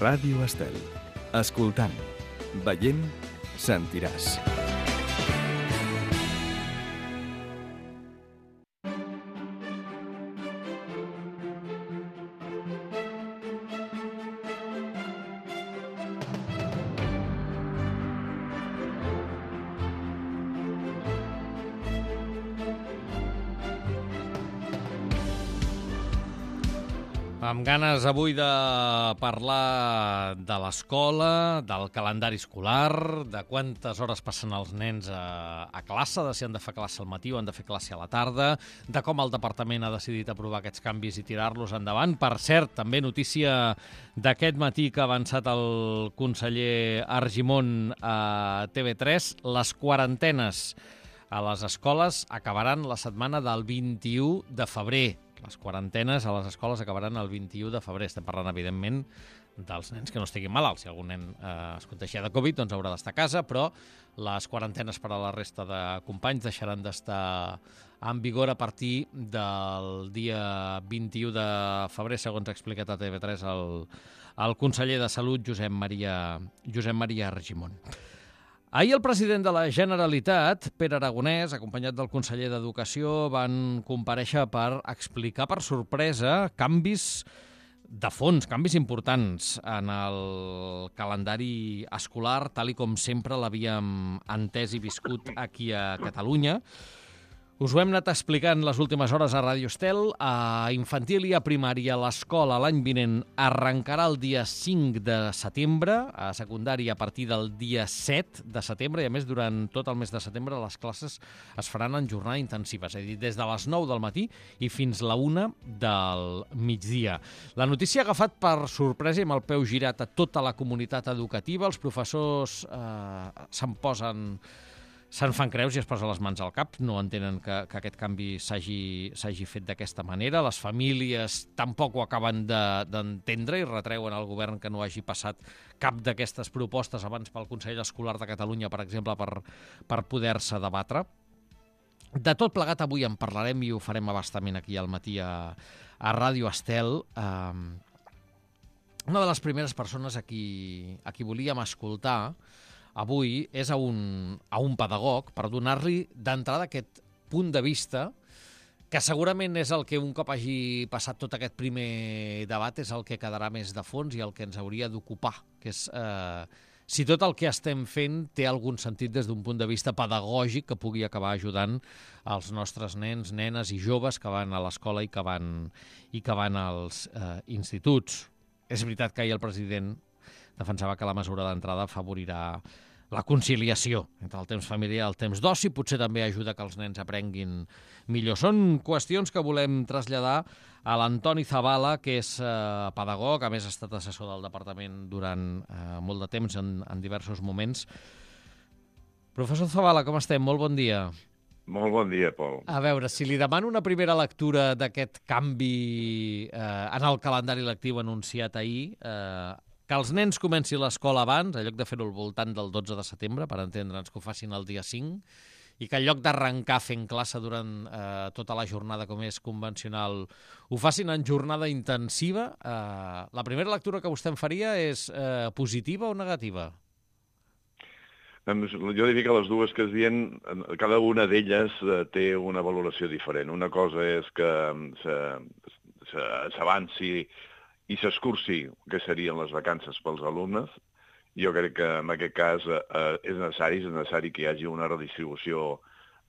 Ràdio Estel. Escoltant, veient, sentiràs. Amb ganes avui de parlar de l'escola, del calendari escolar, de quantes hores passen els nens a classe, de si han de fer classe al matí o han de fer classe a la tarda, de com el departament ha decidit aprovar aquests canvis i tirar-los endavant. Per cert, també notícia d'aquest matí que ha avançat el conseller Argimon a TV3, les quarantenes a les escoles acabaran la setmana del 21 de febrer. Les quarantenes a les escoles acabaran el 21 de febrer. Estem parlant, evidentment, dels nens que no estiguin malalts. Si algun nen es contagia de Covid, doncs haurà d'estar a casa, però les quarantenes per a la resta de companys deixaran d'estar en vigor a partir del dia 21 de febrer, segons ha explicat a TV3 el conseller de Salut, Josep Maria Argimon. Ahir el president de la Generalitat, Pere Aragonès, acompanyat del conseller d'Educació, van comparèixer per explicar per sorpresa canvis de fons, canvis importants en el calendari escolar, tal i com sempre l'havíem entès i viscut aquí a Catalunya. Us ho hem anat explicant les últimes hores a Ràdio Estel. A infantil i a primària l'escola l'any vinent arrencarà el dia 5 de setembre, a secundària a partir del dia 7 de setembre, i a més durant tot el mes de setembre les classes es faran en jornada intensiva, és a dir, des de les 9 del matí i fins la 1 del migdia. La notícia ha agafat per sorpresa i amb el peu girat a tota la comunitat educativa. Els professors se'n fan creus i es posen les mans al cap, no entenen que aquest canvi s'hagi fet d'aquesta manera. Les famílies tampoc ho acaben d'entendre i retreuen al govern que no hagi passat cap d'aquestes propostes abans pel Consell Escolar de Catalunya, per exemple, per poder-se debatre. De tot plegat avui en parlarem i ho farem a bastament aquí al matí a Ràdio Estel. Una de les primeres persones a qui volíem escoltar avui és a un pedagog per donar-li d'entrada aquest punt de vista que segurament és el que un cop hagi passat tot aquest primer debat és el que quedarà més de fons i el que ens hauria d'ocupar, que és si tot el que estem fent té algun sentit des d'un punt de vista pedagògic que pugui acabar ajudant els nostres nens, nenes i joves que van a l'escola i que van als instituts. És veritat que ahir el president defensava que la mesura d'entrada afavorirà la conciliació entre el temps familiar i el temps d'oci, potser també ajuda que els nens aprenguin millor. Són qüestions que volem traslladar a l'Antoni Zabala, que és pedagog, a més ha estat assessor del departament durant molt de temps en diversos moments. Professor Zabala, com estem? Molt bon dia. Molt bon dia, Pol. A veure, si li demano una primera lectura d'aquest canvi en el calendari lectiu anunciat ahir, que els nens comencin l'escola abans, en lloc de fer-ho al voltant del 12 de setembre, per entendre'ns que ho facin el dia 5, i que en lloc d'arrencar fent classe durant tota la jornada com és convencional, ho facin en jornada intensiva. La primera lectura que vostè em faria és positiva o negativa? Jo diria que les dues que es diuen, cada una d'elles té una valoració diferent. Una cosa és que s'avanci i s'escurci que serien les vacances pels alumnes. Jo crec que en aquest cas és necessari que hi hagi una redistribució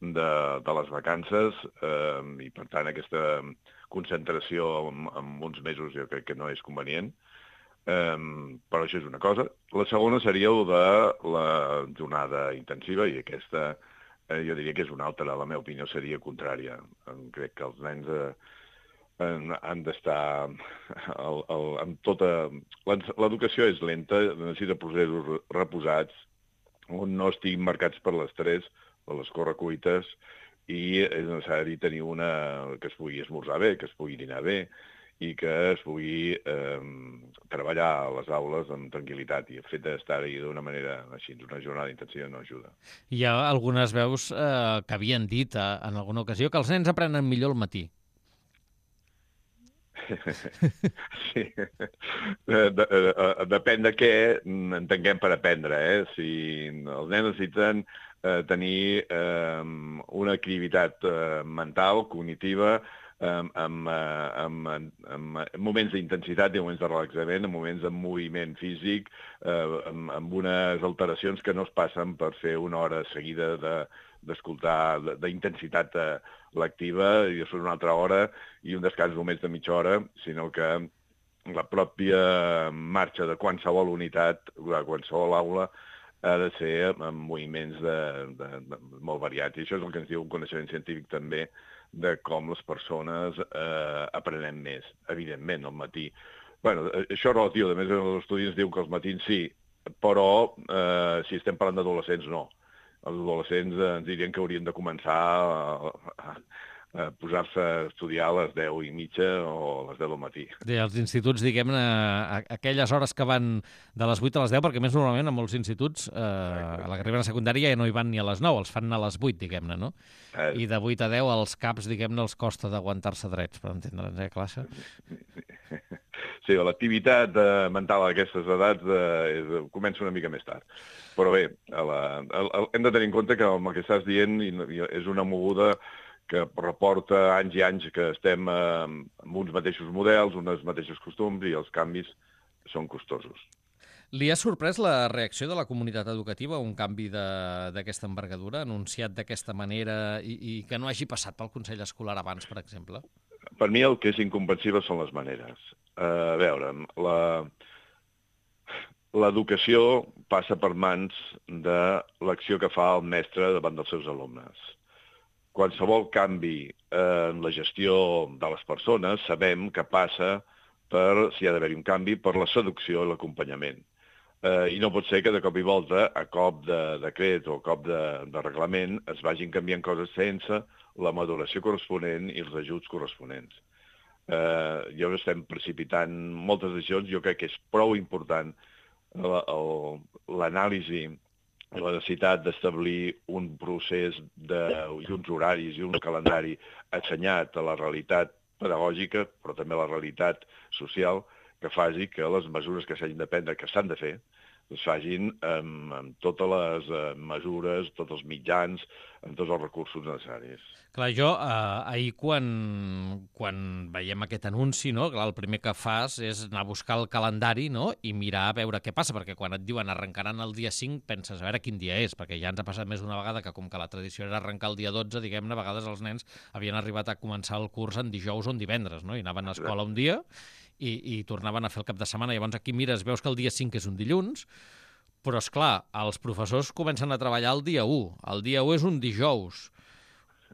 de les vacances i, per tant, aquesta concentració en uns mesos jo crec que no és convenient. Però això és una cosa. La segona seria el de la jornada intensiva i aquesta jo diria que és una altra, la meva opinió seria contrària. Crec que els nens han d'estar amb tota... L'educació és lenta, necessita processos reposats, on no estiguin marcats per l'estrès, per les correcuites, i és necessari tenir que es pugui esmorzar bé, que es pugui dinar bé, i que es pugui treballar a les aules amb tranquil·litat. I el fet d'estar-hi d'una manera així, una jornada intensiva, no ajuda. Hi ha algunes veus que havien dit en alguna ocasió que els nens aprenen millor al matí. Sí. Depèn de què entenguem per aprendre. Si els nens necessiten tenir una activitat mental, cognitiva, amb moments d'intensitat i moments de relaxament, amb moments de moviment físic, amb unes alteracions que no es passen per fer una hora seguida d'escoltar d'intensitat lectiva i després una altra hora i un descans només de mitja hora, sinó que la pròpia marxa de qualsevol unitat, de qualsevol aula, ha de ser amb moviments molt variats. I això és el que ens diu un coneixement científic també de com les persones aprenem més, evidentment, al matí. Bueno, això és relatiu. A més, els estudis diuen que els matins sí, però si estem parlant d'adolescents, no. Els adolescents ens dirien que haurien de començar a posar-se a estudiar a les 10:30 o a les 10 del matí. Bé, els instituts, diguem-ne, aquelles hores que van de les 8 a les 10, perquè més normalment en molts instituts, a la que arriben a secundària ja no hi van ni a les 9, els fan a les 8, diguem-ne, no? I de 8 a 10 als caps, diguem-ne, els costa d'aguantar-se drets, per entendre'ns, classe? Sí, l'activitat mental a aquestes edats comença una mica més tard. Però bé, hem de tenir en compte que el que estàs dient és una moguda que reporta anys i anys que estem amb uns mateixos models, unes mateixos costums, i els canvis són costosos. Li ha sorprès la reacció de la comunitat educativa a un canvi d'aquesta envergadura, anunciat d'aquesta manera, i que no hagi passat pel Consell Escolar abans, per exemple? Per mi el que és incomprensible són les maneres. A veure, l'educació passa per mans de l'acció que fa el mestre davant dels seus alumnes. Qualsevol canvi en la gestió de les persones sabem que passa per, si ha d'haver-hi un canvi, per la seducció i l'acompanyament. I no pot ser que de cop i volta, a cop de decret o a cop de reglament, es vagin canviant coses sense la maduració corresponent i els ajuts corresponents. Jo estem precipitant moltes decisions, jo crec que és prou important l'anàlisi, la necessitat d'establir un procés i uns horaris i un calendari assenyat a la realitat pedagògica, però també a la realitat social, que faci que les mesures que s'hagin de prendre, que s'han de fer, es facin amb totes les mesures, tots els mitjans, amb tots els recursos necessaris. Clar, jo ahir quan veiem aquest anunci, no, clar, el primer que fas és anar a buscar el calendari, no, i mirar a veure què passa, perquè quan et diuen arrencaran el dia 5 penses a veure quin dia és, perquè ja ens ha passat més d'una vegada que com que la tradició era arrencar el dia 12, diguem-ne, a vegades els nens havien arribat a començar el curs en dijous o en divendres, no, i anaven a escola un dia i tornaven a fer el cap de setmana. Llavors aquí mires, veus que el dia 5 és un dilluns, però, és clar, els professors comencen a treballar el dia 1. El dia 1 és un dijous.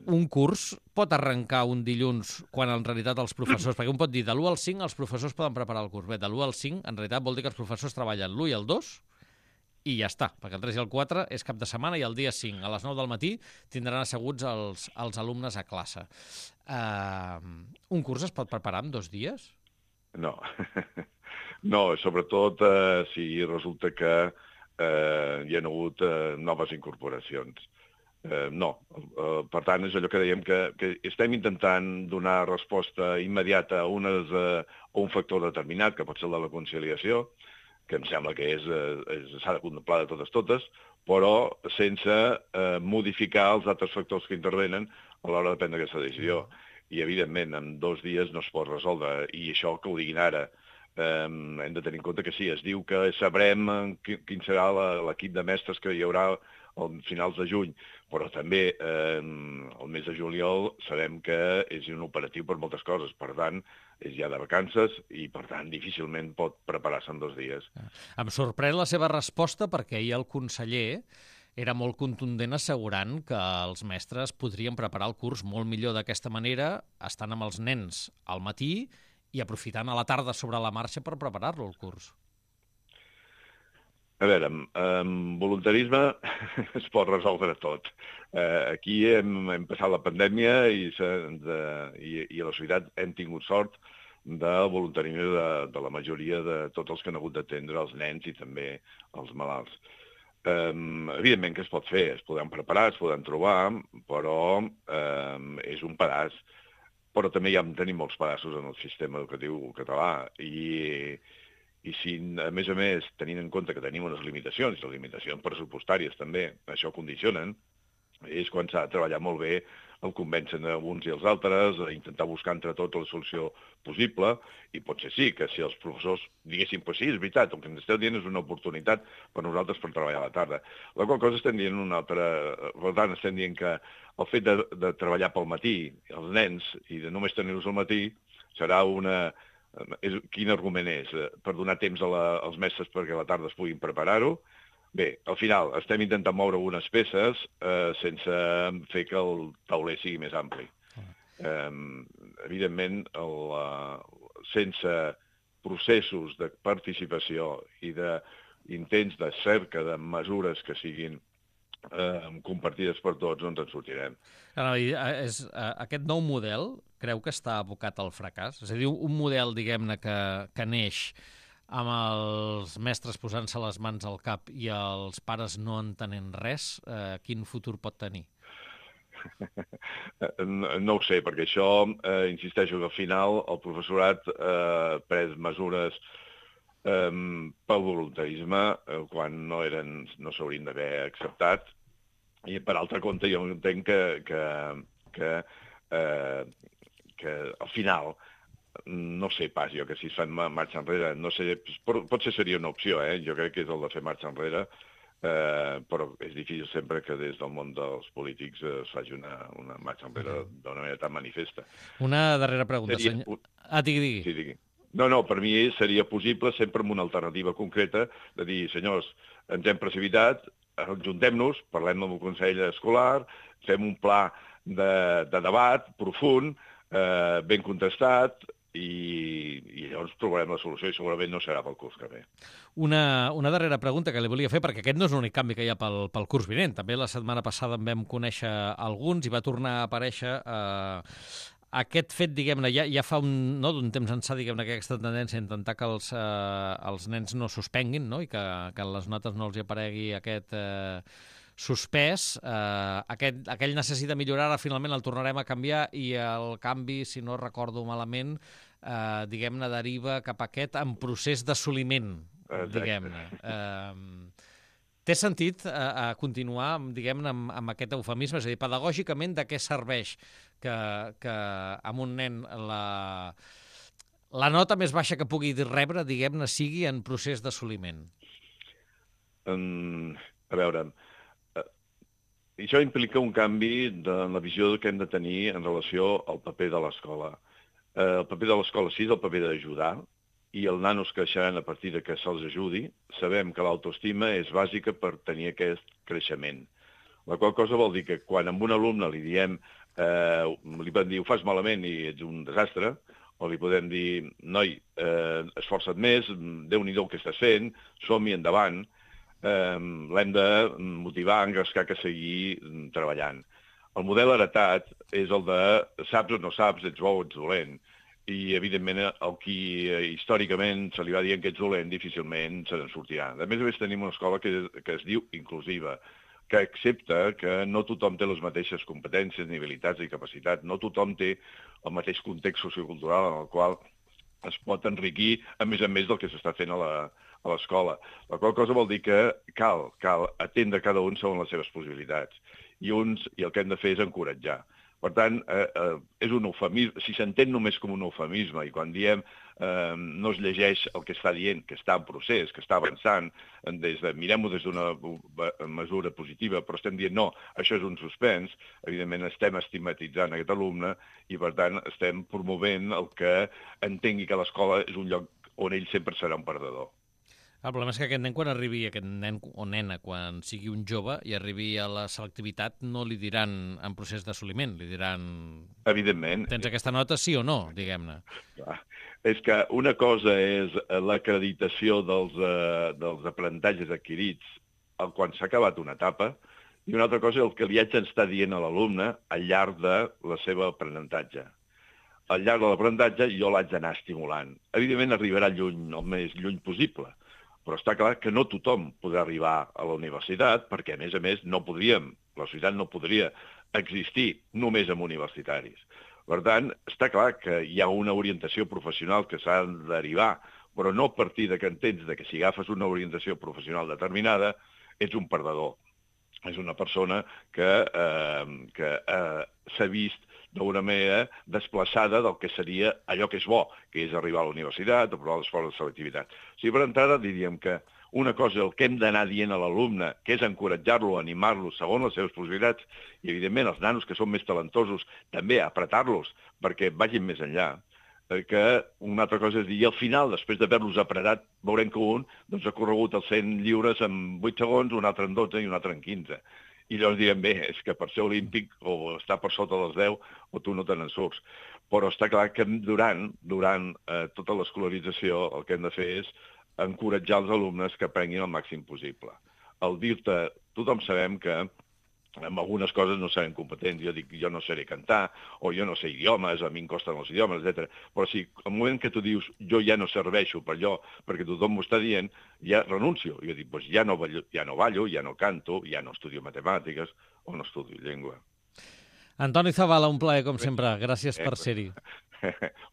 Un curs pot arrencar un dilluns quan en realitat els professors... Perquè un pot dir, de l'1 al 5 els professors poden preparar el curs. Bé, de l'1 al 5 en realitat vol dir que els professors treballen l'1 i el 2 i ja està, perquè el 3 i el 4 és cap de setmana i el dia 5 a les 9 del matí tindran asseguts els alumnes a classe. Un curs es pot preparar en 2 dies? No, no, sobretot si resulta que hi ha hagut noves incorporacions. No, per tant, és allò que dèiem que estem intentant donar resposta immediata a un factor determinat, que pot ser el de la conciliació, que em sembla que s'ha de contemplar de totes, però sense modificar els altres factors que intervenen a l'hora de prendre aquesta decisió. I, evidentment, en 2 dies no es pot resoldre, i això que ho diguin ara. Hem de tenir en compte que sí, es diu que sabrem quin serà l'equip de mestres que hi haurà a finals de juny, però també el mes de juliol sabem que és inoperatiu per moltes coses, per tant, és ja de vacances i, per tant, difícilment pot preparar-se en 2 dies. Em sorprèn la seva resposta perquè ahir el conseller era molt contundent assegurant que els mestres podrien preparar el curs molt millor d'aquesta manera, estant amb els nens al matí i aprofitant a la tarda sobre la marxa per preparar-lo, el curs. A veure, amb voluntarisme es pot resoldre tot. Aquí hem passat la pandèmia i a la societat hem tingut sort del voluntarisme de la majoria de tots els que han hagut d'atendre els nens i també els malalts. Evidentment que es pot fer, es poden preparar, es poden trobar, però és un pedaç. però també tenim molts pedaços en el sistema educatiu català i si, a més, tenint en compte que tenim unes limitacions, les limitacions pressupostàries també, això condicionen, és quan s'ha de treballar molt bé el convencen uns i els altres, a intentar buscar entre tots la solució possible, i potser sí, que si els professors diguessin, pues sí, és veritat, el que ens esteu dient és una oportunitat per nosaltres per treballar a la tarda. La qual cosa estem dient una altra... Per tant, estem dient que el fet de treballar pel matí, els nens, i de només tenir-los al matí, serà una... Quin argument és? Per donar temps als mestres perquè a la tarda es puguin preparar-ho? Bé, al final estem intentant moure algunes peces sense fer que el tauler sigui més ampli. Evidentment, sense processos de participació i d'intents de cerca de mesures que siguin compartides per tots, no ens en sortirem. Aquest nou model creu que està abocat al fracàs? És a dir, un model, diguem-ne, que neix amb els mestres posant-se les mans al cap i els pares no entenent res, quin futur pot tenir? No ho sé, perquè això, insisteixo, que al final el professorat ha pres mesures pel voluntarisme quan no s'haurien d'haver acceptat, i per altre compte jo entenc que al final no sé pas jo que si es fan marxa enrere, no sé, potser seria una opció, jo crec que és el de fer marxa enrere, però és difícil sempre que des del món dels polítics es faci una marxa enrere d'una manera tan manifesta. Una darrera pregunta, senyor. Digui. Sí, digui. No, per mi seria possible sempre amb una alternativa concreta de dir, senyors, ens hem precipitat, ajuntem-nos, parlem amb el Consell Escolar, fem un pla de debat profund, ben contestat, i llavors trobarem la solució i segurament no serà pel curs que ve. Una darrera pregunta que li volia fer, perquè aquest no és l'únic canvi que hi ha pel curs vinent. També la setmana passada en vam conèixer alguns i va tornar a aparèixer aquest fet, diguem-ne, ja fa d'un temps ençà, diguem-ne, aquesta tendència a intentar que els nens no suspenguin, no? I que a les notes no els hi aparegui aquest suspès. Aquell necessita millorar, ara finalment el tornarem a canviar i el canvi, si no recordo malament, diguem-ne, deriva cap a aquest en procés d'assoliment, diguem-ne. Té sentit continuar, diguem-ne, amb aquest eufemisme? És a dir, pedagògicament, de què serveix que amb un nen la nota més baixa que pugui rebre, diguem-ne, sigui en procés d'assoliment? A veure, això implica un canvi de la visió que hem de tenir en relació al paper de l'escola. El paper de l'escola sí és el paper d'ajudar, i els nanos creixeran a partir de que se'ls ajudi. Sabem que l'autoestima és bàsica per tenir aquest creixement. La qual cosa vol dir que quan a un alumne li diem, li podem dir, ho fas malament i ets un desastre, o li podem dir, noi, esforça't més, Déu-n'hi-do el que estàs fent, som-hi endavant, l'hem de motivar, engrescar que seguir treballant. El model heretat és el de saps o no saps, ets bo o ets dolent. I, evidentment, el qui històricament se li va dient que ets dolent difícilment se n'en sortirà. A més, tenim una escola que es diu inclusiva, que accepta que no tothom té les mateixes competències, ni habilitats ni capacitats, no tothom té el mateix context sociocultural en el qual es pot enriquir a més del que s'està fent a l'escola. La qual cosa vol dir que cal atendre cada un segons les seves possibilitats. I el que hem de fer és encoratjar. Per tant, és un eufemisme, si s'entén només com un eufemisme, i quan diem no es llegeix el que està dient, que està en procés, que està avançant, mirem-ho des d'una mesura positiva, però estem dient no, això és un suspens, evidentment estem estigmatitzant aquest alumne i, per tant, estem promovent el que entengui que l'escola és un lloc on ell sempre serà un perdedor. El problema és que aquest nen, quan arribi, aquest nen o nena, quan sigui un jove i arribi a la selectivitat, no li diran en procés d'assoliment, li diran... Evidentment. Tens aquesta nota, sí o no, diguem-ne. És que una cosa és l'acreditació dels aprenentatges adquirits quan s'ha acabat una etapa, i una altra cosa és el que li haig d'estar dient a l'alumne al llarg de la seva aprenentatge. Al llarg de l'aprenentatge jo l'haig d'anar estimulant. Evidentment arribarà lluny, el més lluny possible, però està clar que no tothom podrà arribar a la universitat perquè, a més, no podríem, la societat no podria existir només amb universitaris. Per tant, està clar que hi ha una orientació professional que s'ha de derivar, però no a partir de que entens que si agafes una orientació professional determinada ets un perdedor. És una persona que s'ha vist d'una manera desplaçada del que seria allò que és bo, que és arribar a la universitat o provar les proves de selectivitat. O sigui, per entrada diríem que una cosa, el que hem d'anar dient a l'alumne, que és encoratjar-lo, animar-lo segons les seves possibilitats, i evidentment els nanos que són més talentosos també apretar-los perquè vagin més enllà, que una altra cosa és dir, i al final, després d'haver-los apretat, veurem que un ha corregut els 100 lliures en 8 segons, un altre en 12 i un altre en 15. I llavors direm, bé, és que per ser olímpic o estar per sota dels 10 o tu no te n'en surts. Però està clar que durant tota l'escolarització el que hem de fer és encoratjar els alumnes que aprenguin el màxim possible. Al dir-te, tothom sabem que en algunes coses no serem competents. Jo dic, jo no sé cantar, o jo no sé idiomes, a mi em costen els idiomes, etc. Però si al moment que tu dius, jo ja no serveixo per allò, perquè tothom m'ho està dient, ja renuncio. Jo dic, doncs ja no ballo, ja no canto, ja no estudio matemàtiques o no estudio llengua. Antoni Zabala, un plaer, com sempre. Gràcies per ser-hi.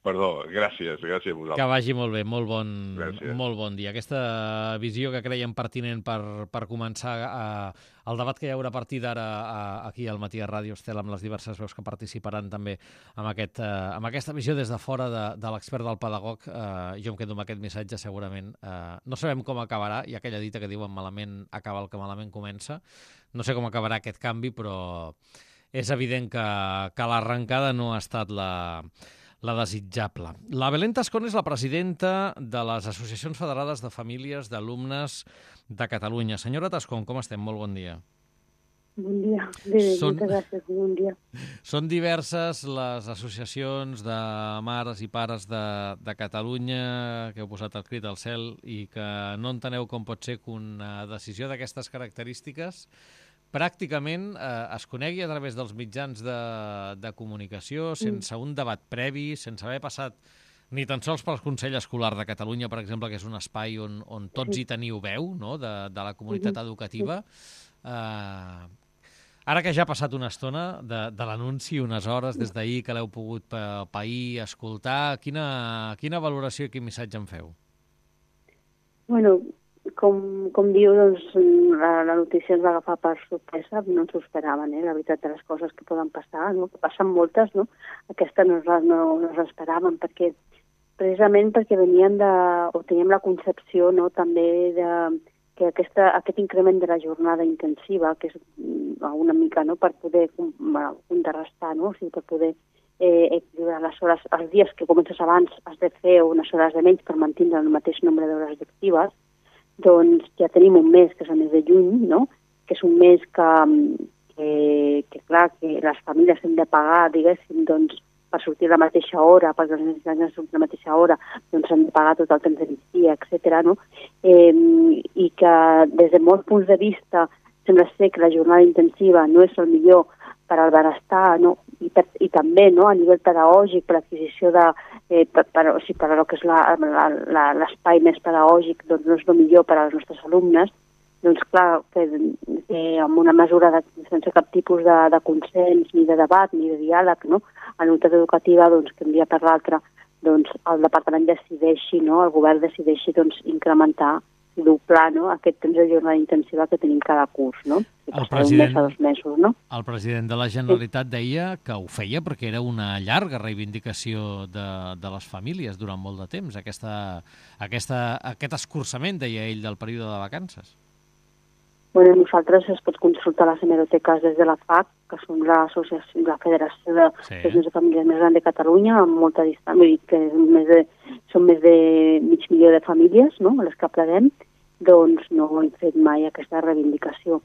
Perdó, gràcies a vosaltres. Que vagi molt bé, molt bon dia. Aquesta visió que creiem pertinent per començar el debat que hi haurà a partir d'ara aquí al Matí a Ràdio Estel amb les diverses veus que participaran també amb aquesta visió des de fora de l'expert del pedagog. Jo em quedo amb aquest missatge segurament. No sabem com acabarà, hi ha aquella dita que diuen malament acaba el que malament comença. No sé com acabarà aquest canvi, però és evident que l'arrencada no ha estat la desitjable. La Belén Tascón és la presidenta de les Associacions Federades de Famílies d'Alumnes de Catalunya. Senyora Tascón, com estem? Molt bon dia. Bon dia. Bé, moltes gràcies. Bon dia. Són diverses les associacions de mares i pares de Catalunya que heu posat el crit al cel i que no enteneu com pot ser que una decisió d'aquestes característiques pràcticament es conegui a través dels mitjans de comunicació, sense un debat previ, sense haver passat ni tan sols pel Consell Escolar de Catalunya, per exemple, que és un espai on tots hi teniu veu, no?, de la comunitat educativa. Ara que ja ha passat una estona de l'anunci, unes hores des d'ahir que l'heu pogut pair, escoltar, quina valoració i quin missatge en feu? Bueno, com diu, doncs, la notícia ens va agafar per sorpresa, no ens ho esperaven, la veritat de les coses que poden passar, no? Que passen moltes, no? Aquesta no l'esperaven, perquè precisament perquè veníem o teníem la concepció, no?, també que aquest increment de la jornada intensiva, que és una mica, no?, per poder contrarrestar, no?, o sigui, per poder equilibrar les hores, els dies que comences abans has de fer unes hores de menys per mantenir el mateix nombre d'hores lectives. Doncs ja tenim un mes, que és el mes de juny, no?, que és un mes que clar, que les famílies hem de pagar, diguéssim, doncs, per sortir a la mateixa hora, perquè els nens surtin a la mateixa hora, doncs han de pagar tot el temps de migdia, etc., no? I que des de molts punts de vista sembla ser que la jornada intensiva no és el millor per al benestar, no? I també, no?, a nivell pedagògic, per l'adquisició per a lo que és l'espai més pedagògic, doncs no és el millor per als nostres alumnes. Doncs clar, que amb una mesura sense cap tipus de consens, ni de debat, ni de diàleg, no?, a la unitat educativa, doncs, que un dia per l'altre, doncs, el departament decideixi, no?, el govern decideixi, doncs, incrementar, doblar, no?, aquest temps de jornada intensiva que tenim cada curs, no? El president, un mes a 2 mesos, no? El president de la Generalitat deia que ho feia perquè era una llarga reivindicació de les famílies durant molt de temps, aquest escurçament, deia ell, del període de vacances. Bueno, nosaltres es pot consultar les hemeroteques des de la FAC, que són la Federació d'Associacions de Famílies més gran de Catalunya, amb molta distància, vull dir que són més de mig milió de famílies, no?, les que apleguem, doncs no hem fet mai aquesta reivindicació.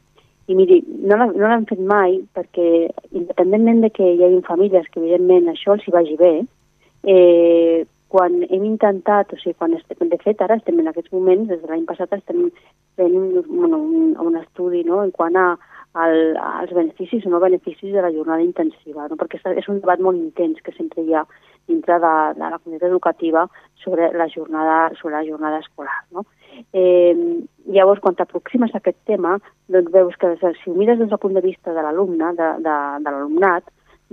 I miri, no l'hem fet mai perquè, independentment de que hi hagi famílies que evidentment això els hi vagi bé, quan hem intentat, o sigui, de fet ara estem en aquests moments, des de l'any passat estem fent un estudi, no?, en quant als beneficis o no beneficis de la jornada intensiva, no?, perquè és un debat molt intens que sempre hi ha dintre de la comunitat educativa sobre la jornada escolar, no? Llavors, quan t'aproximes a aquest tema, doncs veus que si ho mires des del punt de vista de l'alumne, de l'alumnat,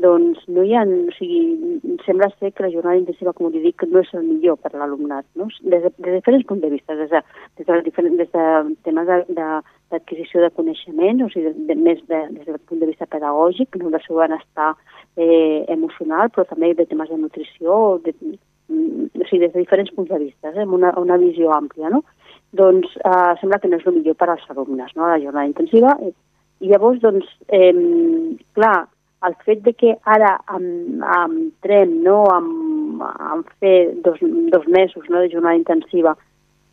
doncs no hi ha... O sigui, sembla ser que la jornada intensiva, com li dic, no és el millor per a l'alumnat, no? Des de diferents punts de vista, des de temes d'adquisició de coneixement, o sigui, més des del punt de vista pedagògic, no, del seu benestar emocional, però també de temes de nutrició, o sigui, des de diferents punts de vista, amb una visió àmplia, no? Doncs sembla que no és el millor per als alumnes, no?, la jornada intensiva. I llavors, doncs, clar, el fet de que ara entrem, no?, en fer dos mesos, no?, de jornada intensiva,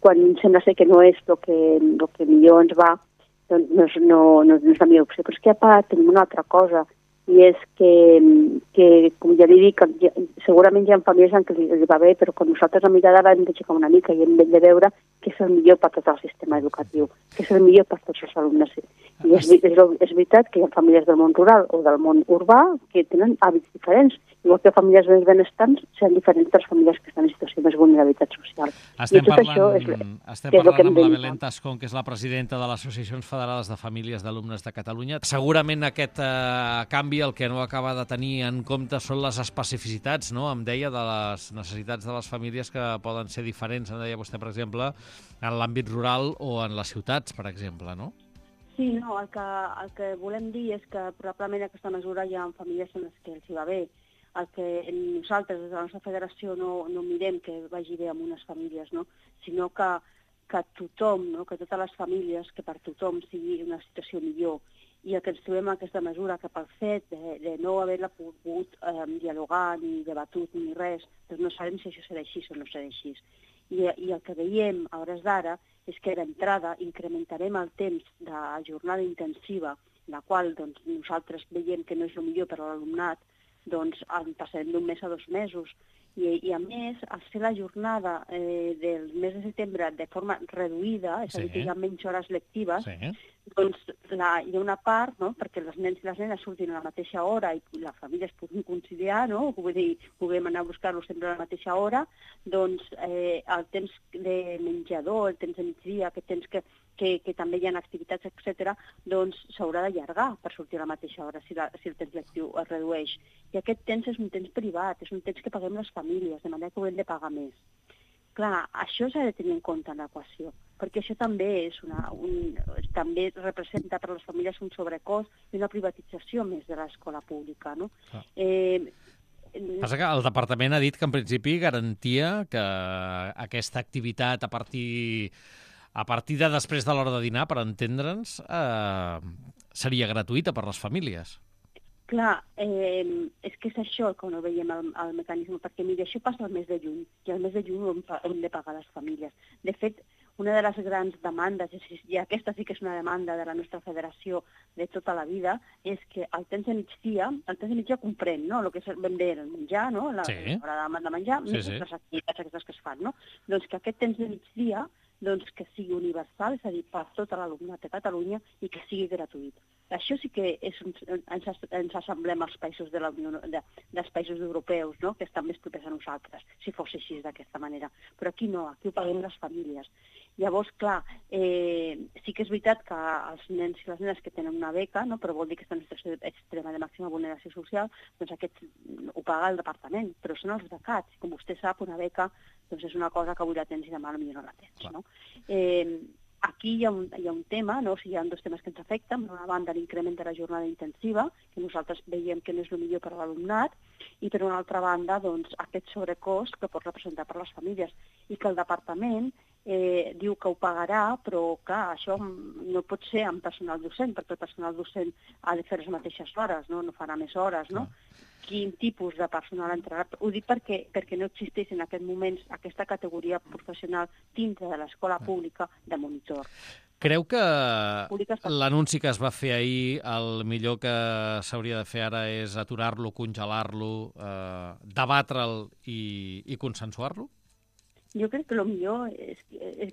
quan sembla ser que no és el que millor ens va, doncs no és la millor opció. Però és que a part tenim una altra cosa, i és que com ja li dic, segurament hi ha famílies en què li va bé, però quan nosaltres a mirada hem d'aixecar una mica i hem de veure què és el millor per tot el sistema educatiu, què és el millor per tots els alumnes. I és veritat que hi ha famílies del món rural o del món urbà que tenen hàbits diferents, igual que famílies més benestants seran diferents de les famílies que estan en situació de més vulnerabilitat social. Estem parlant amb la Belén Tascón, que és la presidenta de les Associacions Federades de Famílies d'Alumnes de Catalunya. Segurament aquest canvi el que no acaba de tenir en compte són les especificitats, no?, em deia, de les necessitats de les famílies, que poden ser diferents, em deia vostè, per exemple, en l'àmbit rural o en les ciutats, per exemple, no? Sí, no, el que volem dir és que probablement aquesta mesura hi ha famílies en les que els hi va bé. El que nosaltres, des de la nostra federació, no mirem que vagi bé amb unes famílies, no?, sinó que tothom, no?, que totes les famílies, que per tothom sigui una situació millor. I el que ens trobem en aquesta mesura, que pel fet de no haver-la pogut dialogar, ni debatut, ni res, doncs no sabem si això serà així o no serà així. I el que veiem a hores d'ara és que d'entrada incrementarem el temps de jornada intensiva, la qual doncs, nosaltres veiem que no és el millor per a l'alumnat, doncs en passarem d'un mes a 2 mesos. I a més, al ser la jornada del mes de setembre de forma reduïda, és a dir, que hi ha menys hores lectives, doncs hi ha una part, no?, perquè els nens i les nenes surtin a la mateixa hora i les famílies puguin conciliar, no?, vull dir, puguem anar a buscar-los sempre a la mateixa hora, doncs el temps de menjador, el temps de migdia, aquest temps que també hi ha activitats, etc., doncs s'haurà d'allargar per sortir a la mateixa hora si el temps lectiu es redueix. I aquest temps és un temps privat, és un temps que paguem les famílies, de manera que ho hem de pagar més. Clar, això s'ha de tenir en compte en l'equació, perquè això també també representa per a les famílies un sobrecost i una privatització més de l'escola pública, no? Passa que el departament ha dit que en principi garantia que aquesta activitat a partir de després de l'hora de dinar, per entendre'ns, seria gratuïta per les famílies. Clar, és que és això que no veiem el mecanisme, perquè mira, això passa al mes de juny, i al mes de juny hem de pagar les famílies. De fet, una de les grans demandes, i aquesta sí que és una demanda de la nostra federació de tota la vida, és que el temps de migdia comprèn, no?, el que és ben bé el menjar, no?, l'hora de menjar, les activitats aquestes que es fan, no? Doncs que aquest temps de migdia que sigui universal, és a dir, per tot l'alumnat de Catalunya, i que sigui gratuït. Això sí que ens assemblem als països de la Unió, dels països europeus, no?, que estan més propers a nosaltres, si fos així d'aquesta manera. Però aquí no, aquí ho paguem les famílies. Llavors, clar, sí que és veritat que els nens i les nenes que tenen una beca, no?, però vol dir que estan en situació extrema de màxima vulneració social, doncs aquest ho paga el departament, però són els becats. Com vostè sap, una beca doncs és una cosa que avui la tens i demà potser no la tens, no? Aquí hi ha un tema, no? O sigui, hi ha 2 temes que ens afecten. Per una banda, l'increment de la jornada intensiva, que nosaltres veiem que no és el millor per a l'alumnat, i per una altra banda, doncs, aquest sobrecost que pot representar per a les famílies, i que el departament diu que ho pagarà, però, clar, això no pot ser amb personal docent, perquè el personal docent ha de fer les mateixes hores, no farà més hores, no? Quin tipus de personal entrarà? Ho dic perquè no existeix en aquest moment aquesta categoria professional dintre de l'escola pública de monitor. Creu que l'anunci que es va fer ahir, el millor que s'hauria de fer ara és aturar-lo, congelar-lo, debatre'l i consensuar-lo? Jo crec que el millor és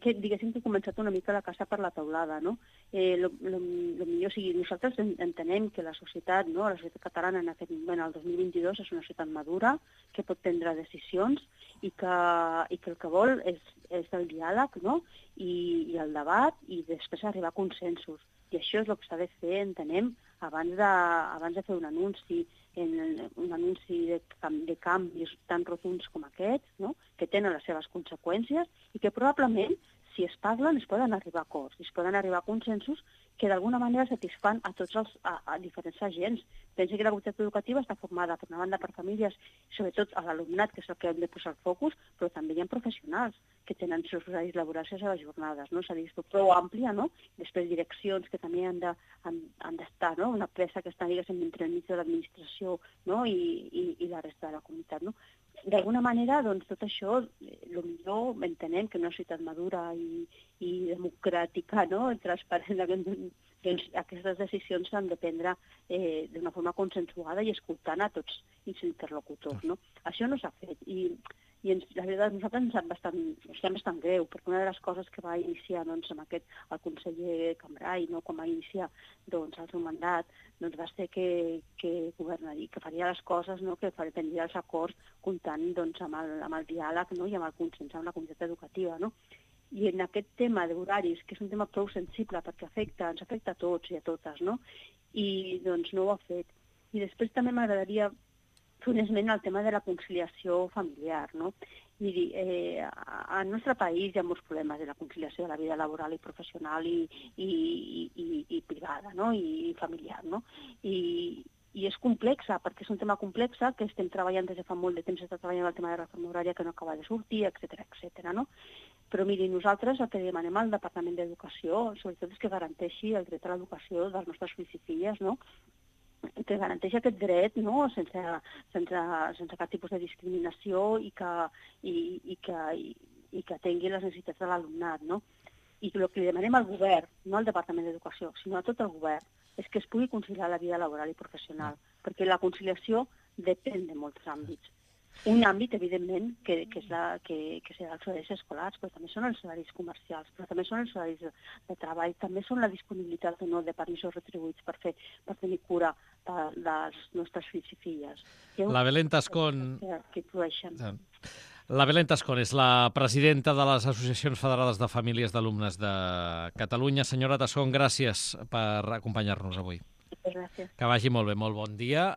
que, diguéssim, que he començat una mica la casa per la teulada, no? El millor, o sigui, nosaltres entenem que la societat, no?, la societat catalana en aquest moment, el 2022, és una societat madura, que pot prendre decisions i que el que vol és el diàleg, no?, i el debat, i després arribar a consensos. I això és el que s'ha de fer, entenem, abans de fer un anunci. anunci de canvis tan rotunds com aquests, no? Que tenen les seves conseqüències i que probablement, si es parlen, es poden arribar a acords, es poden arribar a consensos que d'alguna manera satisfan a tots a diferents agents. Penso que la comunitat educativa està formada, per una banda, per famílies, sobretot a l'alumnat, que és el que hem de posar el focus, però també hi ha professionals que tenen els seus horaris laborals i les seves jornades, no? És a dir, és prou àmplia, no? Després direccions que també han d'estar, no? Una presa que està, diguéssim, entre el mig de l'administració, no? I la resta de la comunitat, no? D'alguna manera, doncs, tot això, potser entenem que en una societat madura i democràtica, no? Transparent, doncs aquestes decisions s'han de prendre d'una forma consensuada i escoltant a tots els interlocutors, no? Això no s'ha fet i la veritat, nosaltres ens sap bastant greu, perquè una de les coses que va iniciar doncs, amb el conseller Cambray, no? Quan va iniciar doncs, el seu mandat, doncs, va ser que governaria, que faria les coses, no? Que prendria els acords comptant doncs, amb el diàleg, no? I amb el consens amb la comunitat educativa, no? I en aquest tema d'horaris, que és un tema prou sensible perquè ens afecta a tots i a totes, no? I doncs no ho ha fet. I després també m'agradaria fer un esment al tema de la conciliació familiar, no? Miri, al nostre país hi ha molts problemes de la conciliació de la vida laboral i professional i privada, no? I familiar, no? I és complexa, perquè és un tema complex que estem treballant des de fa molt de temps, està treballant el tema de la reforma horària que no acaba de sortir, etc., no? Però miri, nosaltres el que demanem al Departament d'Educació, sobretot, és que garanteixi el dret a l'educació dels nostres fills i filles, no? Que garanteixi aquest dret, no? sense cap tipus de discriminació i que atengui les necessitats de l'alumnat, no? I el que li demanem al govern, no al Departament d'Educació, sinó a tot el govern, és que es pugui conciliar la vida laboral i professional, perquè la conciliació depèn de molts àmbits. Un àmbit, evidentment, que serà els horaris escolars, però també són els horaris comercials, però també són els horaris de treball, també són la disponibilitat o no de permisos retribuïts per tenir cura dels nostres fills i filles. La Belén Tascón... Que produeixen. La Belén Tascón és la presidenta de les Associacions Federades de Famílies d'Alumnes de Catalunya. Senyora Tascón, gràcies per acompanyar-nos avui. Gràcies. Que vagi molt bé, molt bon dia.